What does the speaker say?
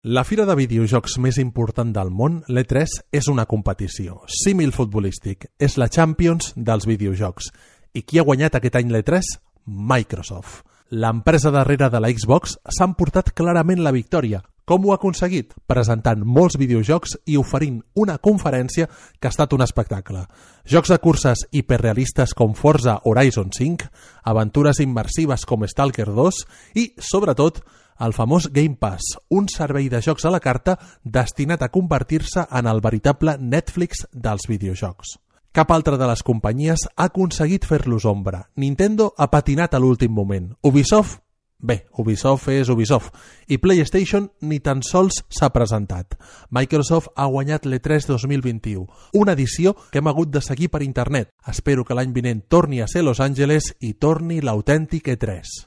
La fira de videojocs més important del món, l'E3, és una competició. Símil futbolístic. És la Champions dels videojocs. I qui ha guanyat aquest any l'E3? Microsoft. L'empresa darrere de la Xbox s'ha emportat clarament la victòria. Com ho ha aconseguit? Presentant molts videojocs i oferint una conferència que ha estat un espectacle. Jocs de curses hiperrealistes com Forza Horizon 5, aventures immersives com Stalker 2 i, sobretot, el famós Game Pass, un servei de jocs a la carta destinat a convertir-se en el veritable Netflix dels videojocs. Cap altra de les companyies ha aconseguit fer-los ombra. Nintendo ha patinat a l'últim moment. Ubisoft? Bé, Ubisoft és Ubisoft. I PlayStation ni tan sols s'ha presentat. Microsoft ha guanyat l'E3 2021, una edició que hem hagut de seguir per internet. Espero que l'any vinent torni a ser Los Angeles i torni l'autèntic E3.